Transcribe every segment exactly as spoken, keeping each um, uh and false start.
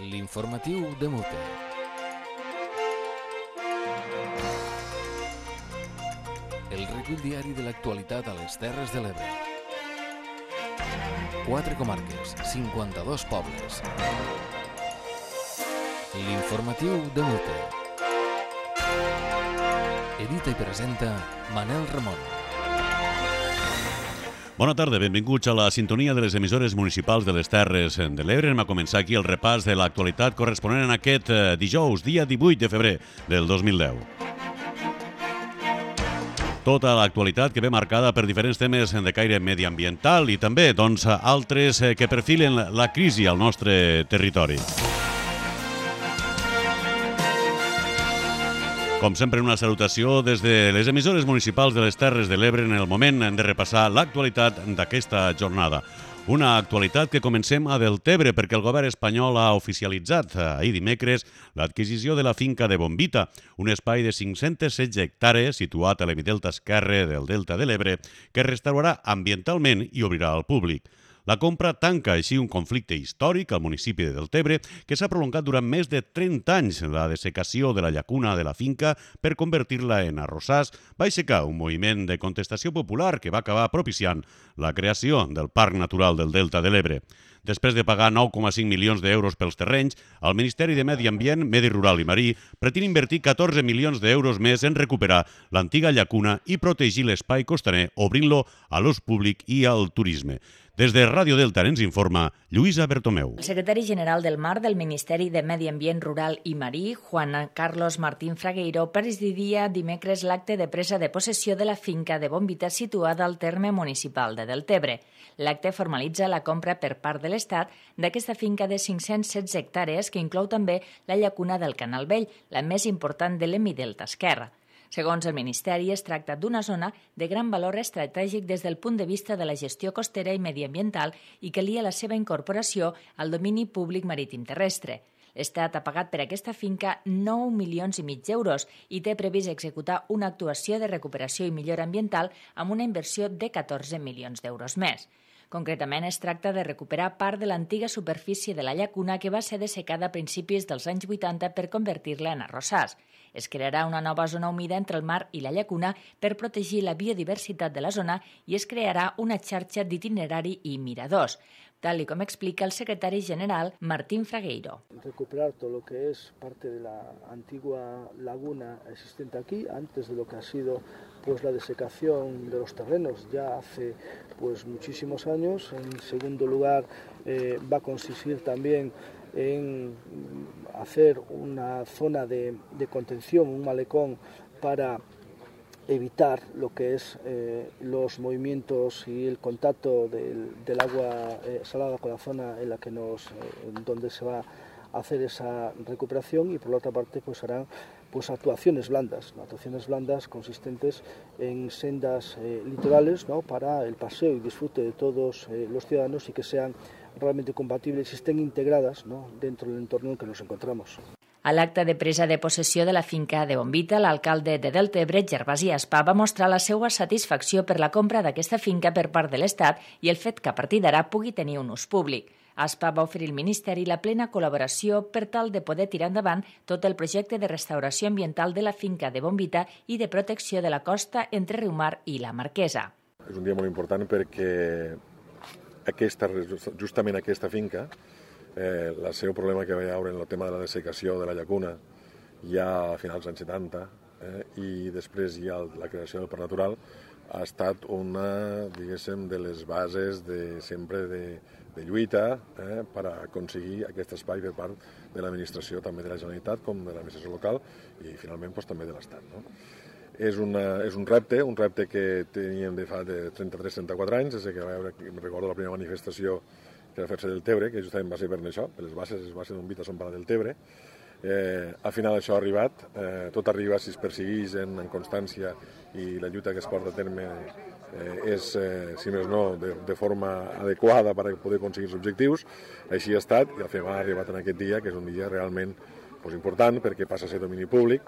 L'informatiu de Mute. El recull diari de l'actualitat a les Terres de l'Ebre. Quatre comarques, cinquanta-dos pobles. L'informatiu de Mute. Edita i presenta Manel Ramon. Bona tarda, benvinguts a la sintonia de les emissores municipals de les Terres de l'Ebre. Anem a començar aquí el repàs de l'actualitat corresponent en aquest dijous, dia divuit de febrer del dos mil deu. Tota l'actualitat que ve marcada per diferents temes de caire mediambiental i també doncs, altres que perfilen la crisi al nostre territori. Com sempre, una salutació des de les emissores municipals de les Terres de l'Ebre en el moment de repassar l'actualitat d'aquesta jornada. Una actualitat que comencem a Deltebre perquè el govern espanyol ha oficialitzat ahir dimecres l'adquisició de la finca de Bombita, un espai de cinc-centes setze hectàrees situat a l'hemidelta esquerre del Delta de l'Ebre que es restaurarà ambientalment i obrirà al públic. La compra tanca així un conflicte històric al municipi de Deltebre que s'ha prolongat durant més de trenta anys. La dessecació de la llacuna de la finca per convertir-la en arrossars va aixecar un moviment de contestació popular que va acabar propiciant la creació del Parc Natural del Delta de l'Ebre. Després de pagar nou coma cinc milions d'euros pels terrenys, el Ministeri de Medi Ambient, Medi Rural i Marí pretén invertir catorze milions d'euros més en recuperar l'antiga llacuna i protegir l'espai costaner, obrint-lo a l'ús públic i al turisme. Des de Ràdio Delta ens informa Lluïsa Bertomeu. El secretari general del Mar del Ministeri de Medi Ambient Rural i Marí, Juan Carlos Martín Fragueiro, presidiria dimecres l'acte de presa de possessió de la finca de Bombita situada al terme municipal de Deltebre. L'acte formalitza la compra per part de l'Estat d'aquesta finca de cinc-cents setze hectàrees que inclou també la llacuna del Canal Vell, la més important de l'hemidelta esquerra. Segons el Ministeri, es tracta d'una zona de gran valor estratègic des del punt de vista de la gestió costera i mediambiental i que lia la seva incorporació al domini públic marítim terrestre. L'Estat ha pagat per aquesta finca nou milions i mig d'euros i té previst executar una actuació de recuperació i millora ambiental amb una inversió de catorze milions d'euros més. Concretament, es tracta de recuperar part de l'antiga superfície de la llacuna que va ser dessecada a principis dels anys vuitanta per convertir-la en arrossars. Es crearà una nova zona humida entre el mar i la llacuna per protegir la biodiversitat de la zona i es crearà una xarxa d'itinerari i miradors, tal y como explica el secretario general Martín Fragueiro. Recuperar todo lo que es parte de la antigua laguna existente aquí, antes de lo que ha sido pues la desecación de los terrenos ya hace pues muchísimos años. En segundo lugar, eh, va a consistir también en hacer una zona de, de contención, un malecón para evitar lo que es eh, los movimientos y el contacto del, del agua eh, salada con la zona en la que nos, eh, donde se va a hacer esa recuperación, y por la otra parte pues harán pues actuaciones blandas, ¿no? actuaciones blandas consistentes en sendas eh, litorales, ¿no? para el paseo y disfrute de todos eh, los ciudadanos y que sean realmente compatibles y estén integradas, ¿no? dentro del entorno en que nos encontramos. A l'acte de presa de possessió de la finca de Bombita, l'alcalde de Deltebre, Gervasi Aspa, va mostrar la seva satisfacció per la compra d'aquesta finca per part de l'Estat i el fet que a partir d'ara pugui tenir un ús públic. Aspa va oferir al Ministeri la plena col·laboració per tal de poder tirar endavant tot el projecte de restauració ambiental de la finca de Bombita i de protecció de la costa entre Riumar i la Marquesa. És un dia molt important perquè aquesta, justament aquesta finca, eh, el seu problema que va haver en el tema de la dessecació de la llacuna ja a finals dels anys setanta eh, i després ja la creació del Parc Natural ha estat una, diguéssim, de les bases de sempre de, de lluita eh, per aconseguir aquest espai per part de l'administració, també de la Generalitat com de l'administració local i finalment doncs, també de l'Estat. No? És, una, és un repte, un repte que teníem de fa de trenta-tres a trenta-quatre anys, des que va haver, em recordo la primera manifestació que va fer-se del Tebre, que justament va ser per això, per les bases, les bases d'Bombita són per la del Tebre. Eh, al final això ha arribat, eh, tot arriba si es persegueix en, en constància i la lluita que es porta a terme eh, és, eh, si més no, de, de forma adequada per poder aconseguir els objectius. Així ha estat i al final ha arribat en aquest dia, que és un dia realment pues, important perquè passa a ser domini públic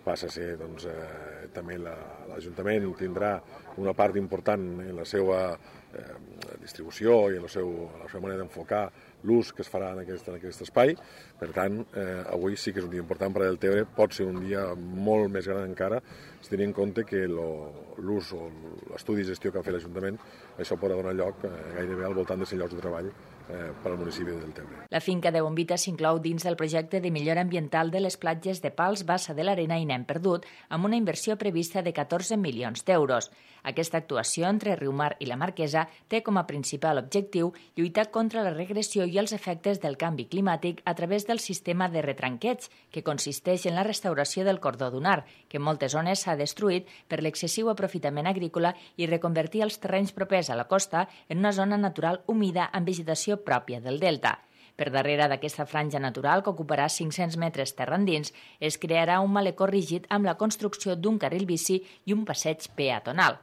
passa a ser, doncs, eh, també l'Ajuntament tindrà una part important en la seva eh, distribució i en la, seu, la seva manera d'enfocar l'ús que es farà en aquest, en aquest espai. Per tant, eh, avui sí que és un dia important per al Deltebre, pot ser un dia molt més gran encara, si tenim en compte que l'ús o l'estudi de gestió que ha fet l'Ajuntament, això podrà donar lloc eh, gairebé al voltant de cent llocs de treball eh, per al municipi de Deltebre. La finca de Bombita s'inclou dins del projecte de millora ambiental de les platges de Pals, Bassa de l'Arena i Nen Perdut, amb una inversió prevista de catorze milions d'euros. Aquesta actuació entre Riumar i la Marquesa té com a principal objectiu lluitar contra la regressió i els efectes del canvi climàtic a través del sistema de retranqueig, que consisteix en la restauració del cordó dunar, que en moltes zones s'ha destruït per l'excessiu aprofitament agrícola, i reconvertir els terrenys propers a la costa en una zona natural humida amb vegetació pròpia del delta. Per darrere d'aquesta franja natural, que ocuparà cinc-cents metres terra endins, es crearà un malecó rígid amb la construcció d'un carril bici i un passeig peatonal.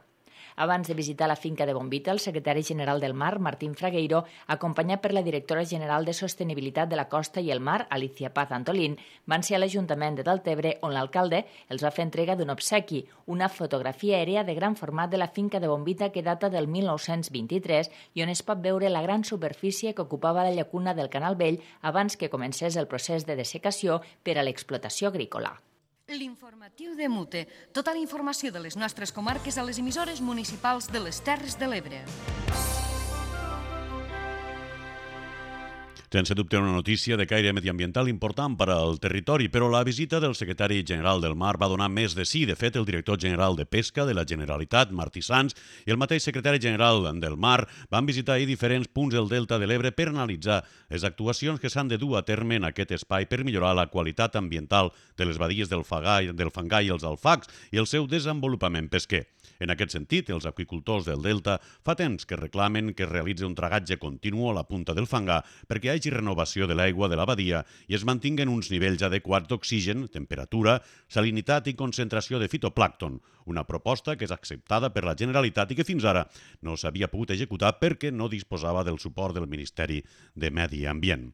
Abans de visitar la finca de Bombita, el secretari general del Mar, Martín Fragueiro, acompanyat per la directora general de Sostenibilitat de la Costa i el Mar, Alicia Paz Antolín, van ser a l'Ajuntament de Deltebre, on l'alcalde els va fer entrega d'un obsequi, una fotografia aèria de gran format de la finca de Bombita que data del mil nou-cents vint-i-tres i on es pot veure la gran superfície que ocupava la llacuna del Canal Vell abans que comencés el procés de dessecació per a l'explotació agrícola. L'informatiu de Mute. Tota la informació de les nostres comarques a les emissores municipals de les Terres de l'Ebre. Sense dubte una notícia de caire mediambiental important per al territori, però la visita del secretari general del Mar va donar més de sí. De fet, el director general de Pesca de la Generalitat, Martí Sans, i el mateix secretari general del Mar van visitar ahir diferents punts del Delta de l'Ebre per analitzar les actuacions que s'han de dur a terme en aquest espai per millorar la qualitat ambiental de les badies del Fangall, del Fangall i els alfacs i el seu desenvolupament pesquer. En aquest sentit, els apicultors del Delta fa temps que reclamen que es realitzi un tragatge continu a la punta del fangar perquè hi hagi renovació de l'aigua de la badia i es mantinguen uns nivells adequats d'oxigen, temperatura, salinitat i concentració de fitoplàncton, una proposta que és acceptada per la Generalitat i que fins ara no s'havia pogut executar perquè no disposava del suport del Ministeri de Medi Ambient.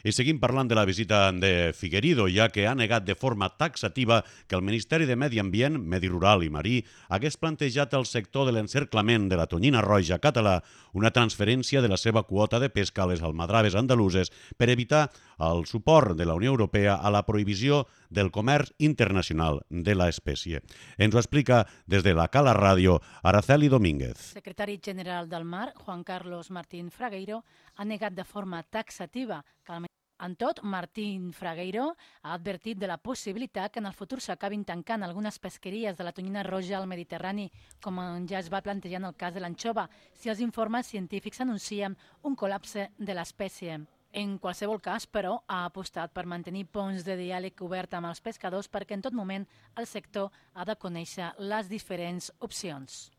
I seguim parlant de la visita de Figueredo, ja que ha negat de forma taxativa que el Ministeri de Medi Ambient, Medi Rural i Marí hagués plantejat al sector de l'encerclament de la tonyina roja català una transferència de la seva quota de pesca a les almadraves andaluses per evitar el suport de la Unió Europea a la prohibició del comerç internacional de l'espècie. Ens ho explica des de la Cala Ràdio Araceli Domínguez. El secretari general del Mar, Juan Carlos Martín Fragueiro, ha negat de forma taxativa que el En tot, Martín Fragueiro ha advertit de la possibilitat que en el futur s'acabin tancant algunes pesqueries de la tonyina roja al Mediterrani, com ja es va plantejar en el cas de l'anxova, si els informes científics anuncien un col·lapse de l'espècie. En qualsevol cas, però, ha apostat per mantenir ponts de diàleg obert amb els pescadors perquè en tot moment el sector ha de conèixer les diferents opcions.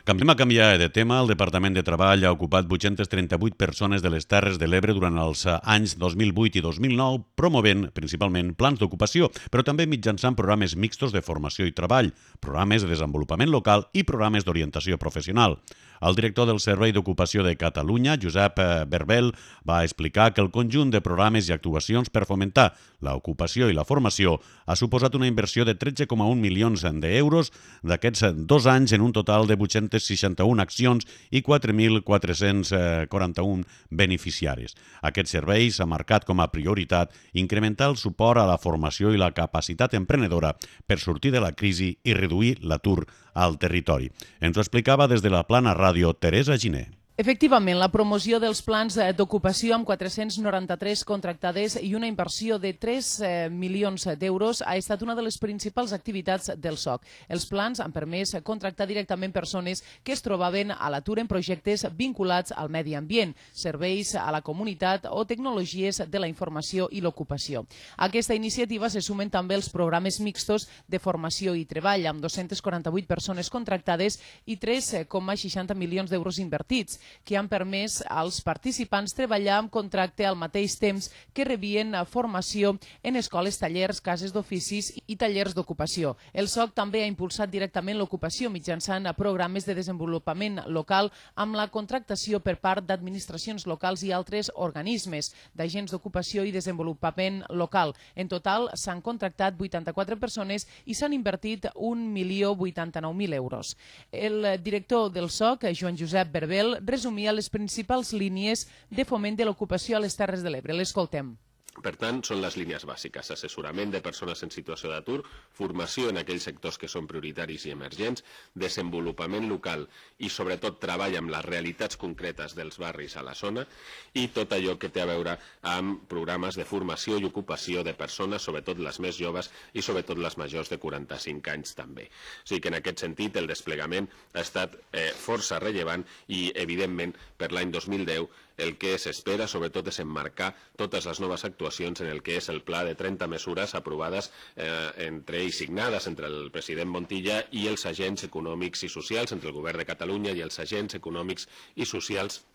Canviem a canviar de tema. El Departament de Treball ha ocupat vuit-centes trenta-vuit persones de les Terres de l'Ebre durant els anys dos mil vuit i dos mil nou, promovent principalment plans d'ocupació, però també mitjançant programes mixtos de formació i treball, programes de desenvolupament local i programes d'orientació professional. El director del Servei d'Ocupació de Catalunya, Josep Berbel, va explicar que el conjunt de programes i actuacions per fomentar l'ocupació i la formació ha suposat una inversió de tretze coma un milions d'euros d'aquests dos anys en un total de vuit-centes seixanta-una accions i quatre mil quatre-cents quaranta-un beneficiaris. Aquest servei s'ha marcat com a prioritat incrementar el suport a la formació i la capacitat emprenedora per sortir de la crisi i reduir l'atur al territori. Ens ho explicava des de la Plana Ràdio Teresa Giner. Efectivament, la promoció dels plans d'ocupació amb quatre-cents noranta-tres contractades i una inversió de tres milions d'euros ha estat una de les principals activitats del S O C. Els plans han permès contractar directament persones que es trobaven a l'atur en projectes vinculats al medi ambient, serveis a la comunitat o tecnologies de la informació i l'ocupació. A aquesta iniciativa se sumen també els programes mixtos de formació i treball amb dos-centes quaranta-vuit persones contractades i tres coma seixanta milions d'euros invertits. que han permès als participants treballar amb contracte al mateix temps que rebien formació en escoles, tallers, cases d'oficis i tallers d'ocupació. El S O C també ha impulsat directament l'ocupació mitjançant programes de desenvolupament local amb la contractació per part d'administracions locals i altres organismes d'agents d'ocupació i desenvolupament local. En total s'han contractat vuitanta-quatre persones i s'han invertit un milió vuitanta-nou mil euros. El director del S O C, Joan Josep Berbel, resumia les principals línies de foment de l'ocupació a les Terres de l'Ebre. L'escoltem. Per tant, són les línies bàsiques: assessorament de persones en situació d'atur, formació en aquells sectors que són prioritaris i emergents, desenvolupament local i, sobretot, treball amb les realitats concretes dels barris a la zona i tot allò que té a veure amb programes de formació i ocupació de persones, sobretot les més joves i sobretot les majors de quaranta-cinc anys també. O sigui que en aquest sentit el desplegament ha estat eh, força rellevant i, evidentment, per l'any dos mil deu el que s'espera, sobretot, és emmarcar totes les noves actuacions en el que és el pla de trenta mesures aprovades eh, entre i signades entre el president Montilla i els agents econòmics i socials, entre el govern de Catalunya i els agents econòmics i socials.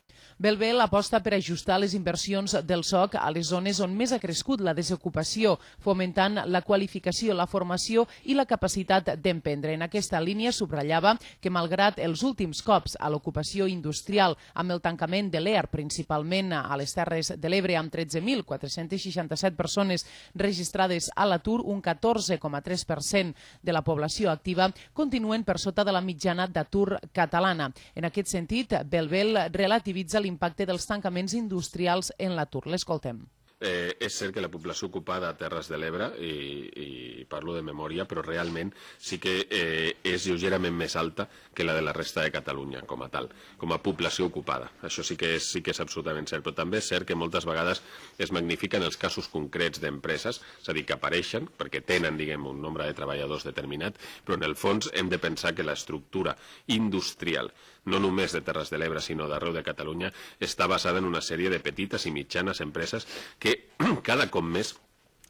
Belbel aposta per ajustar les inversions del S O C a les zones on més ha crescut la desocupació, fomentant la qualificació, la formació i la capacitat d'emprendre. En aquesta línia subratllava que, malgrat els últims cops a l'ocupació industrial amb el tancament de l'E A R, principalment a les Terres de l'Ebre, amb tretze mil quatre-cents seixanta-set persones registrades a l'atur, un catorze coma tres per cent de la població activa, continuen per sota de la mitjana d'atur catalana. En aquest sentit, Belbel relativitza l'impacte dels tancaments industrials en l'atur. L'escoltem. Eh, és cert que la població ocupada a Terres de l'Ebre, i, i parlo de memòria, però realment sí que eh, és lleugerament més alta que la de la resta de Catalunya com a tal, com a població ocupada. Això sí que és, sí que és absolutament cert, però també és cert que moltes vegades es magnifiquen els casos concrets d'empreses, és a dir, que apareixen perquè tenen, diguem, un nombre de treballadors determinat, però en el fons hem de pensar que l'estructura industrial, no només de Terres de l'Ebre, sinó d'arreu de Catalunya, està basada en una sèrie de petites i mitjanes empreses que cada cop més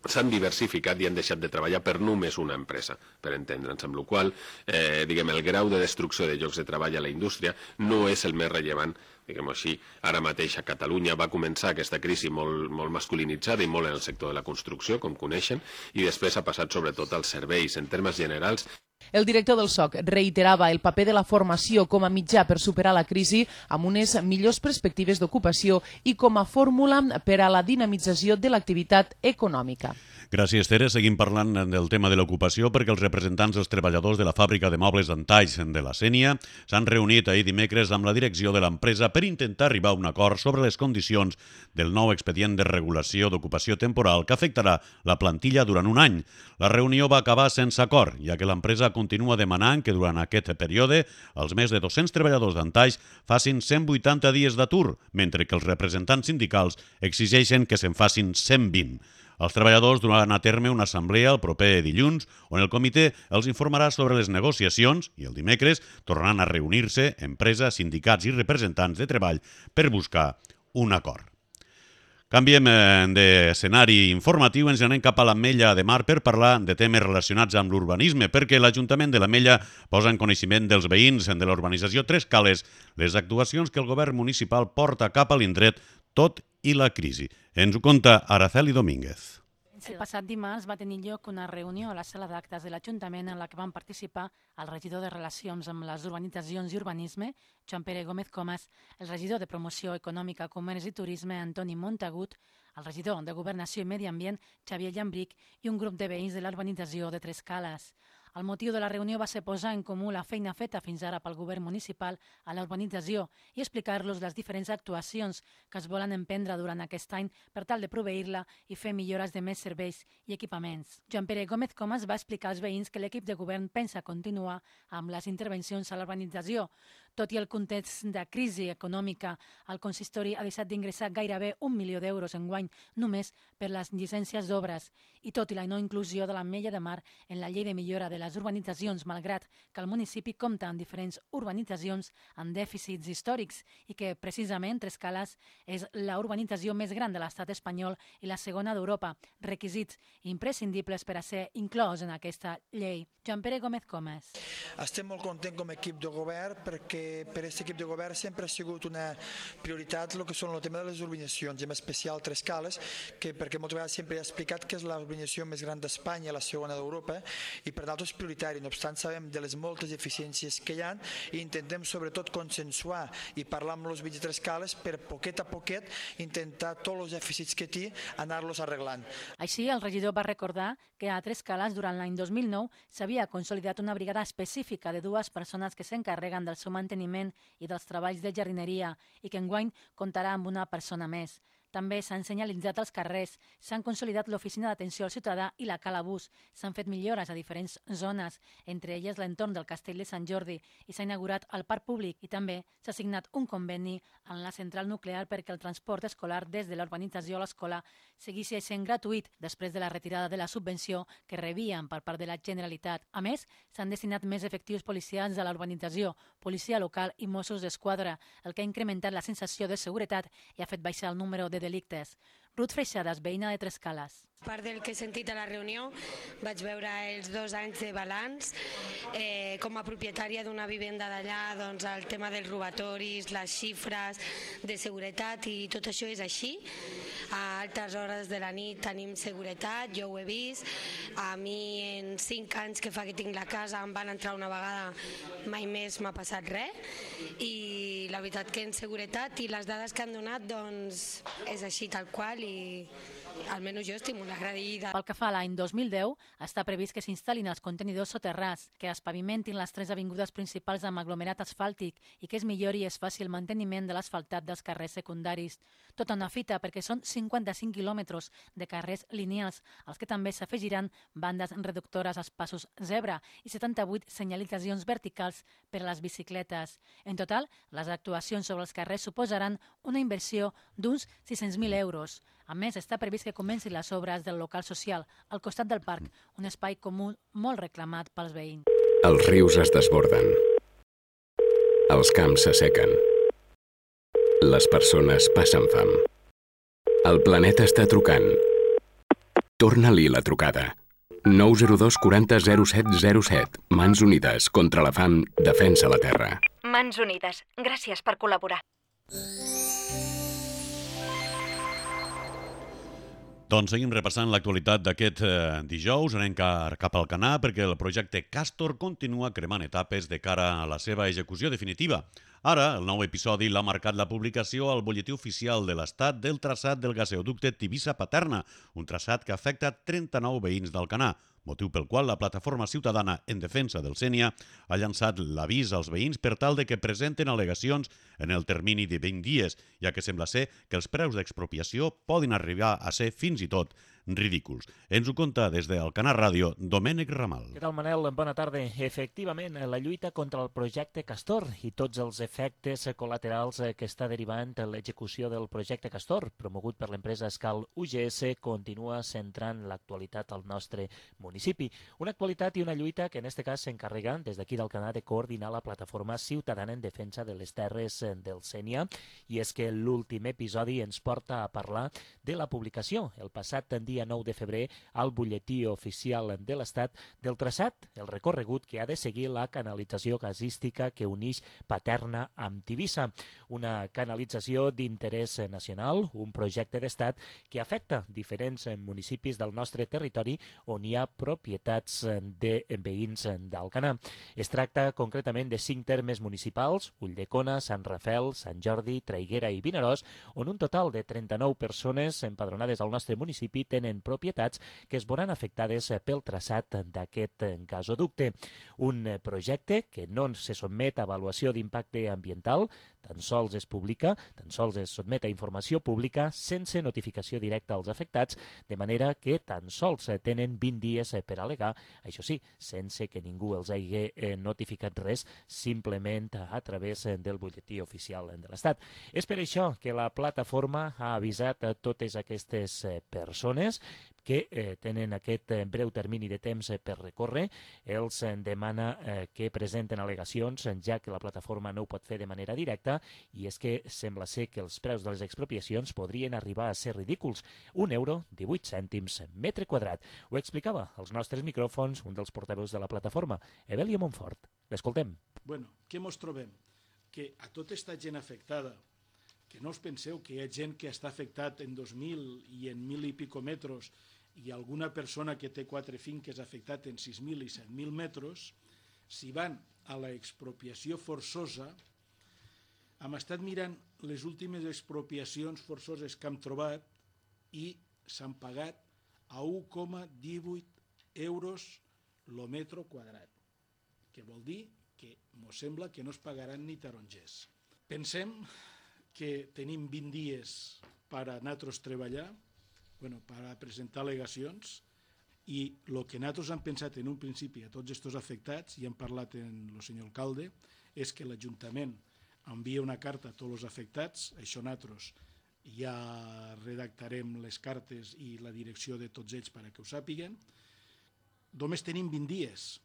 s'han diversificat i han deixat de treballar per només una empresa, per entendre'ns, amb la qual cosa, eh, diguem, el grau de destrucció de llocs de treball a la indústria no és el més rellevant, diguem-ho així. Ara mateix a Catalunya va començar aquesta crisi molt, molt masculinitzada i molt en el sector de la construcció, com coneixen, i després ha passat sobretot als serveis. En termes generals, el director del S O C reiterava el paper de la formació com a mitjà per superar la crisi amb unes millors perspectives d'ocupació i com a fórmula per a la dinamització de l'activitat econòmica. Gràcies, Tere. Seguim parlant del tema de l'ocupació perquè els representants dels treballadors de la fàbrica de mobles d'Antalls de la Sénia s'han reunit ahir dimecres amb la direcció de l'empresa per intentar arribar a un acord sobre les condicions del nou expedient de regulació d'ocupació temporal que afectarà la plantilla durant un any. La reunió va acabar sense acord, ja que l'empresa continua demanant que durant aquest període els més de dos-cents treballadors d'Antalls facin cent vuitanta dies d'atur, mentre que els representants sindicals exigeixen que se'n facin cent vint. Els treballadors duran a terme una assemblea el proper dilluns on el comitè els informarà sobre les negociacions i el dimecres tornaran a reunir-se empresa, sindicats i representants de treball per buscar un acord. Canviem d'escenari informatiu, ens anem cap a l'Ametlla de Mar per parlar de temes relacionats amb l'urbanisme, perquè l'Ajuntament de l'Ametlla posa en coneixement dels veïns de l'urbanització Tres Cales les actuacions que el govern municipal porta cap a l'indret tot i la crisi. Ens ho conta Araceli Domínguez. El passat dimarts va tenir lloc una reunió a la sala d'actes de l'Ajuntament en la que van participar el regidor de Relacions amb les Urbanitzacions i Urbanisme, Joan Pere Gómez Comas, el regidor de Promoció Econòmica, Comerç i Turisme, Antoni Montagut, el regidor de Governació i Medi Ambient, Xavier Llambric, i un grup de veïns de l'urbanització de Tres Cales. El motiu de la reunió va ser posar en comú la feina feta fins ara pel govern municipal a la urbanització i explicar-los les diferents actuacions que es volen emprendre durant aquest any per tal de proveir-la i fer millores de més serveis i equipaments. Joan Pere Gómez Comas va explicar als veïns que l'equip de govern pensa continuar amb les intervencions a la urbanització. Tot i el context de crisi econòmica, el consistori ha deixat d'ingressar gairebé un milió d'euros enguany només per les llicències d'obres i tot i la no inclusió de l'Ametlla de Mar en la llei de millora de les urbanitzacions, malgrat que el municipi compta amb diferents urbanitzacions amb dèficits històrics i que precisament Tres Cales és la urbanització més gran de l'estat espanyol i la segona d'Europa, requisits imprescindibles per a ser inclòs en aquesta llei. Joan Pere Gómez Comas. Estem molt contents com a equip de govern perquè que per aquest equip de govern sempre ha sigut una prioritat el que són el tema de les urbanitzacions, i en especial Tres Cales, que perquè moltes vegades sempre he explicat que és la urbanització més gran d'Espanya, la segona d'Europa, i per nosaltres és prioritari. No obstant, sabem de les moltes deficiències que hi ha i intentem sobretot consensuar i parlar amb els veïns de Tres Cales per poquet a poquet intentar tots els dèficits que té anar-los arreglant. Així, el regidor va recordar que a Tres Cales durant l'any dos mil nou s'havia consolidat una brigada específica de dues persones que s'encarreguen del seu manteniment i dels treballs de jardineria i que enguany comptarà amb una persona més. També s'han senyalitzat els carrers, s'han consolidat l'oficina d'atenció al ciutadà i la cala bus, s'han fet millores a diferents zones, entre elles l'entorn del Castell de Sant Jordi, i s'ha inaugurat el parc públic i també s'ha signat un conveni en la central nuclear perquè el transport escolar des de la urbanització a l'escola seguís sent gratuït després de la retirada de la subvenció que rebien per part de la Generalitat. A més, s'han destinat més efectius policials a la urbanització, policia local i Mossos d'Esquadra, el que ha incrementat la sensació de seguretat i ha fet baixar el número de delictes. Ruth Freixadas, veïna de Tres Cales. A part del que he sentit a la reunió, vaig veure els dos anys de balanç. Eh, com a propietària d'una vivenda d'allà, doncs el tema dels robatoris, les xifres de seguretat i tot això és així. A altes hores de la nit tenim seguretat, jo ho he vist. A mi en cinc anys que fa que tinc la casa em van entrar una vegada, mai més m'ha passat res. I la veritat que en seguretat i les dades que han donat doncs és així tal qual i almenys jo estic molt agraïda. Pel que fa a l'any dos mil deu, està previst que s'instal·lin els contenidors soterrats, que es pavimentin les tres avingudes principals amb aglomerat asfàltic i que es millori i es faci el manteniment de l'asfaltat dels carrers secundaris. Tota una fita perquè són cinquanta-cinc quilòmetres de carrers lineals, als que també s'afegiran bandes reductores als passos zebra i setanta-vuit senyalitzacions verticals per a les bicicletes. En total, les actuacions sobre els carrers suposaran una inversió d'uns sis-cents mil euros. A més, està previst que comencin les obres del local social al costat del parc, un espai comú molt reclamat pels veïns. Els rius es desborden. Els camps s'assequen. Les persones passen fam. El planeta està trucant. Torna-li la trucada. nou zero dos quaranta zero set zero set. Mans Unides contra la fam, defensa la terra. Mans Unides, gràcies per col·laborar. Doncs seguim repassant l'actualitat d'aquest eh, dijous. Anem cap al Canà perquè el projecte Castor continua cremant etapes de cara a la seva execució definitiva. Ara, el nou episodi l'ha marcat la publicació al butlletí oficial de l'Estat del traçat del gasoducte Tivissa-Paterna, un traçat que afecta trenta-nou veïns d'Alcanar, motiu pel qual la plataforma ciutadana en defensa del Sénia ha llançat l'avís als veïns per tal de que presenten al·legacions en el termini de vint dies, ja que sembla ser que els preus d'expropiació poden arribar a ser fins i tot ridículs. Ens ho conta des d'Alcanar Ràdio, Domènec Ramal. Què tal, Manel? Bona tarda. Efectivament, la lluita contra el projecte Castor i tots els efectes col·laterals que està derivant l'execució del projecte Castor, promogut per l'empresa Escal U G S, continua centrant l'actualitat al nostre municipi. Una actualitat i una lluita que en aquest cas s'encarrega des d'aquí d'Alcanar de coordinar la plataforma ciutadana en defensa de les terres del Sénia, i és que l'últim episodi ens porta a parlar de la publicació el passat dia nou de febrer al butlletí oficial de l'Estat del traçat, el recorregut que ha de seguir la canalització gasística que uneix Paterna amb Tivissa. Una canalització d'interès nacional, un projecte d'Estat que afecta diferents municipis del nostre territori on hi ha propietats de veïns d'Alcanar. Es tracta concretament de cinc termes municipals, Ulldecona, Sant Rafel, Sant Jordi, Traiguera i Vinaròs, on un total de trenta-nou persones empadronades al nostre municipi tenen propietats que es veuran afectades pel traçat d'aquest gasoducte. Un projecte que no se sotmet a avaluació d'impacte ambiental, tan sols es publica, tan sols es sotmet a informació pública sense notificació directa als afectats, de manera que tan sols tenen vint dies per al·legar, això sí, sense que ningú els hagi notificat res, simplement a través del butlletí oficial de l'Estat. És per això que la plataforma ha avisat a totes aquestes persones que eh, tenen aquest eh, breu termini de temps eh, per recórrer. Els eh, demana eh, que presenten al·legacions, ja que la plataforma no ho pot fer de manera directa, i és que sembla ser que els preus de les expropiacions podrien arribar a ser ridículs. Un euro, divuit cèntims metre quadrat. Ho explicava als nostres micròfons un dels portaveus de la plataforma, Evelia Montfort. L'escoltem. Bueno, què mos trobem? que a tota aquesta gent afectada, que no us penseu que hi ha gent que està afectat en dos mil i en mil i pico metres i alguna persona que té quatre finques afectat en sis mil i set mil metres, si van a l'expropiació forçosa, hem estat mirant les últimes expropiacions forçoses que hem trobat i s'han pagat a un coma divuit euros el metre quadrat, que vol dir que mos sembla que no es pagaran ni tarongers. Pensem que tenim vint dies per a nosaltres treballar, bueno, per a presentar al·legacions, i el que nosaltres hem pensat en un principi a tots aquests afectats, i hem parlat amb el senyor alcalde, és que l'Ajuntament envia una carta a tots els afectats, això nosaltres ja redactarem les cartes i la direcció de tots ells perquè ho sàpiguen. Només tenim vint dies,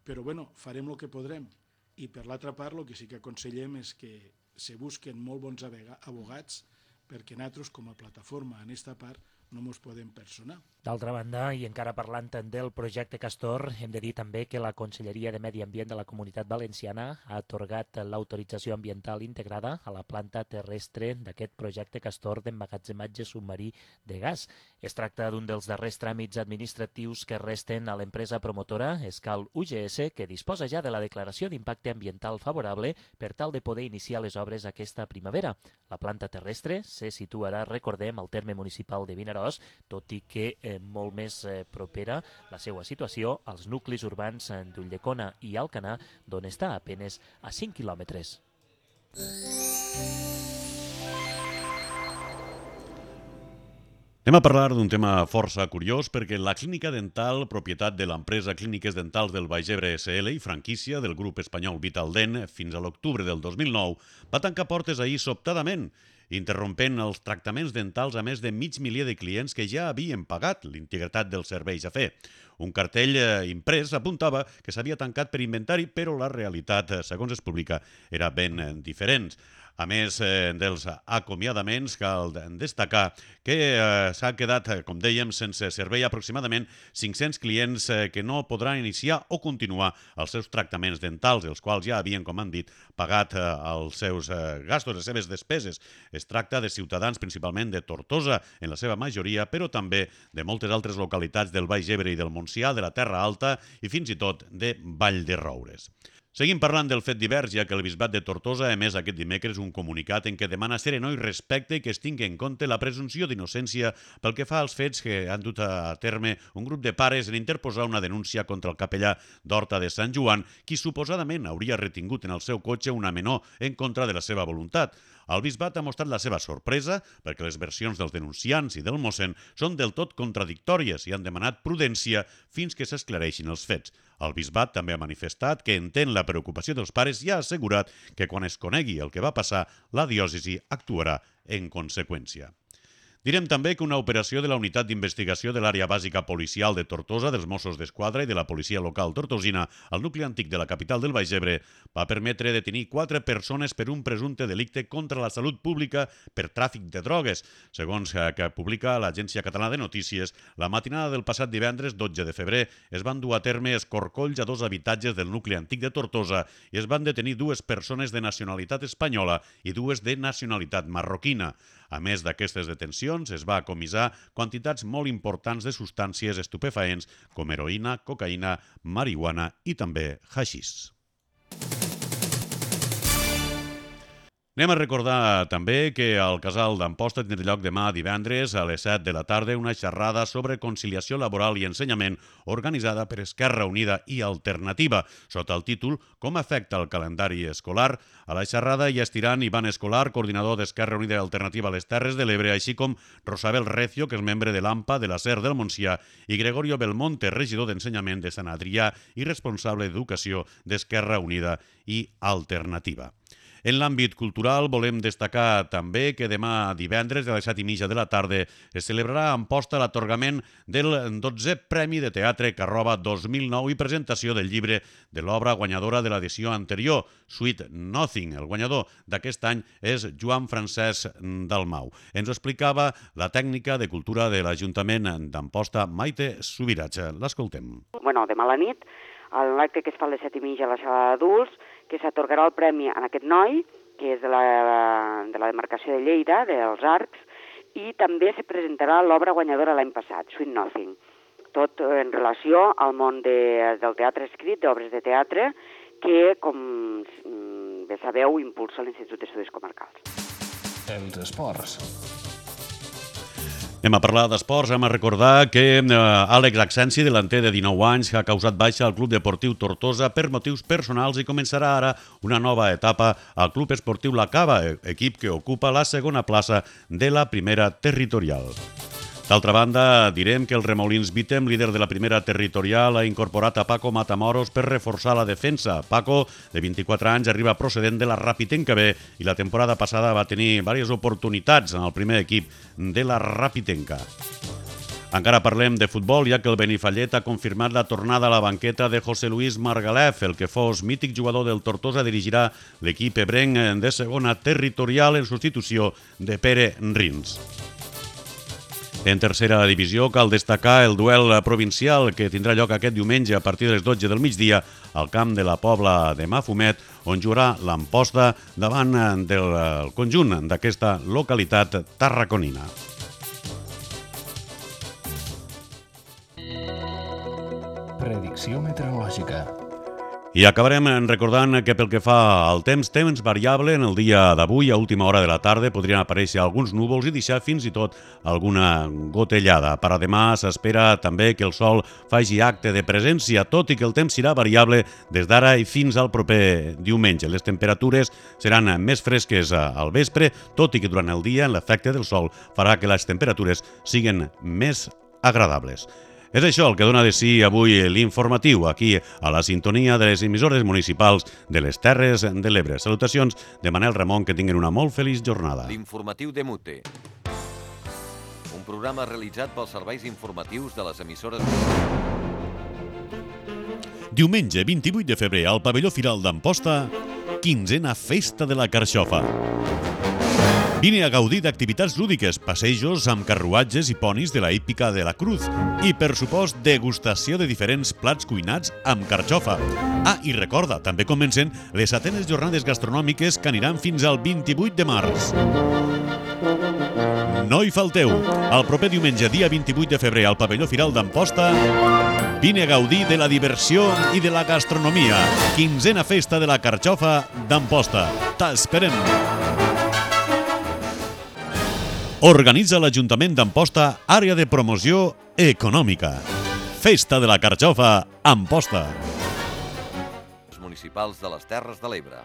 però bueno, farem el que podrem. I per l'altra part, el que sí que aconsellem és que se busquen molt bons abogats perquè nosaltres, com a plataforma en aquesta part, no ens podem personar. D'altra banda, i encara parlant del projecte Castor, hem de dir també que la Conselleria de Medi Ambient de la Comunitat Valenciana ha atorgat l'autorització ambiental integrada a la planta terrestre d'aquest projecte Castor d'emmagatzematge submarí de gas. Es tracta d'un dels darrers tràmits administratius que resten a l'empresa promotora Escal U G S, que disposa ja de la declaració d'impacte ambiental favorable per tal de poder iniciar les obres aquesta primavera. La planta terrestre se situarà, recordem, al terme municipal de Vinaròs, tot i que eh, molt més eh, propera la seva situació als nuclis urbans d'Ulldecona i Alcanar, d'on està a penes a cinc quilòmetres. Anem a parlar d'un tema força curiós perquè la clínica dental, propietat de l'empresa Clíniques Dentals del Baix Ebre S L i franquícia del grup espanyol Vitaldent fins a l'octubre del dos mil nou, va tancar portes ahir sobtadament, interrompent els tractaments dentals a més de mig milió de clients que ja havien pagat l'integritat dels serveis a fer. Un cartell imprès apuntava que s'havia tancat per inventari, però la realitat, segons es publica, era ben diferent. A més eh, dels acomiadaments, cal destacar que eh, s'ha quedat, com dèiem, sense servei aproximadament cinc-cents clients eh, que no podran iniciar o continuar els seus tractaments dentals, els quals ja havien, com han dit, pagat eh, els seus eh, gastos, les seves despeses. Es tracta de ciutadans principalment de Tortosa, en la seva majoria, però també de moltes altres localitats del Baix Ebre i del Montsià, de la Terra Alta i fins i tot de Vall de Roures. Seguim parlant del fet divers, ja que el Bisbat de Tortosa ha emès aquest dimecres un comunicat en què demana serenor i respecte i que es tingui en compte la presumpció d'innocència pel que fa als fets que han dut a terme un grup de pares en interposar una denúncia contra el capellà d'Horta de Sant Joan, qui suposadament hauria retingut en el seu cotxe una menor en contra de la seva voluntat. El bisbat ha mostrat la seva sorpresa perquè les versions dels denunciants i del mossèn són del tot contradictòries i han demanat prudència fins que s'esclareixin els fets. El bisbat també ha manifestat que entén la preocupació dels pares i ha assegurat que quan es conegui el que va passar, la diòcesi actuarà en conseqüència. Direm també que una operació de la Unitat d'Investigació de l'Àrea Bàsica Policial de Tortosa, dels Mossos d'Esquadra i de la Policia Local Tortosina, al nucli antic de la capital del Baix Ebre, va permetre detenir quatre persones per un presumpte delicte contra la salut pública per tràfic de drogues. Segons que publica l'Agència Catalana de Notícies, la matinada del passat divendres dotze de febrer es van dur a terme escorcolls a dos habitatges del nucli antic de Tortosa i es van detenir dues persones de nacionalitat espanyola i dues de nacionalitat marroquina. A més d'aquestes detencions, es va comissar quantitats molt importants de substàncies estupefaents com heroïna, cocaïna, marihuana i també haixís. Anem a recordar també que al Casal d'Amposta tindrà lloc demà divendres a les set de la tarda una xerrada sobre conciliació laboral i ensenyament organitzada per Esquerra Unida i Alternativa, sota el títol Com afecta el calendari escolar. A la xerrada hi estiran Ivan Escolar, coordinador d'Esquerra Unida i Alternativa a les Terres de l'Ebre, així com Rosabel Recio, que és membre de l'AMPA de la SER del Montsià, i Gregorio Belmonte, regidor d'Ensenyament de Sant Adrià i responsable d'Educació d'Esquerra Unida i Alternativa. En l'àmbit cultural volem destacar també que demà divendres a les set i mitja de la tarda es celebrarà a Amposta l'atorgament del dotzè Premi de Teatre Carrova dos mil nou i presentació del llibre de l'obra guanyadora de l'edició anterior, Sweet Nothing. El guanyador d'aquest any és Joan Francesc Dalmau. Ens ho explicava la tècnica de cultura de l'Ajuntament d'Amposta, Maite Subirats. L'escoltem. Bueno, demà a la nit en l'acte que es fa a les set i mitja a la sala d'adults, que s'atorgarà el premi a aquest noi, que és de la, de la demarcació de Lleida, dels Arcs, i també se presentarà l'obra guanyadora l'any passat, Sweet Nothing, tot en relació al món de, del teatre escrit, d'obres de teatre, que, com bé sabeu, impulsa l'Institut d'Estudis Comarcals. Els esports. Anem a parlar d'esports, hem a recordar que eh, Àlex Axensi, delanter de dinou anys, ha causat baixa al Club Deportiu Tortosa per motius personals i començarà ara una nova etapa al Club Esportiu La Cava, equip que ocupa la segona plaça de la primera territorial. D'altra banda, direm que el Remolins Vitem, líder de la primera territorial, ha incorporat a Paco Matamoros per reforçar la defensa. Paco, de vint-i-quatre anys, arriba procedent de la Rapitenca B i la temporada passada va tenir diverses oportunitats en el primer equip de la Rapitenca. Encara parlem de futbol, ja que el Benifallet ha confirmat la tornada a la banqueta de José Luis Margalef. El que fos mític jugador del Tortosa dirigirà l'equip ebrenc de segona territorial en substitució de Pere Rins. En tercera divisió cal destacar el duel provincial que tindrà lloc aquest diumenge a partir de les dotze del migdia al camp de la Pobla de Mafumet, on jugarà l'Amposta davant del conjunt d'aquesta localitat tarraconina. Predicció meteorològica. I acabarem recordant que pel que fa al temps, temps variable en el dia d'avui, a última hora de la tarda, podrien aparèixer alguns núvols i deixar fins i tot alguna gotellada. Per a demà s'espera també que el sol faci acte de presència, tot i que el temps serà variable des d'ara i fins al proper diumenge. Les temperatures seran més fresques al vespre, tot i que durant el dia l'efecte del sol farà que les temperatures siguin més agradables. És això el que dona de si avui l'informatiu, aquí a la sintonia de les emissores municipals de les Terres de l'Ebre. Salutacions de Manel Ramon, que tinguin una molt feliç jornada. L'informatiu de Mute. Un programa realitzat pels serveis informatius de les emissores... Diumenge vint-i-vuit de febrer al pavelló Firal d'Amposta, quinzena Festa de la Carxofa. Vine a gaudir d'activitats lúdiques, passejos amb carruatges i ponis de la hípica de la Cruz i, per supost, degustació de diferents plats cuinats amb carxofa. Ah, i recorda, també comencen les setenes jornades gastronòmiques que aniran fins al vint-i-vuit de març. No hi falteu! El proper diumenge, dia vint-i-vuit de febrer, al pavelló Firal d'Amposta, vine a gaudir de la diversió i de la gastronomia. Quinzena Festa de la Carxofa d'Amposta. T'esperem! Organitza l'Ajuntament d'Amposta, àrea de promoció econòmica. Festa de la Carxofa, Amposta. Municipals de les Terres de l'Ebre.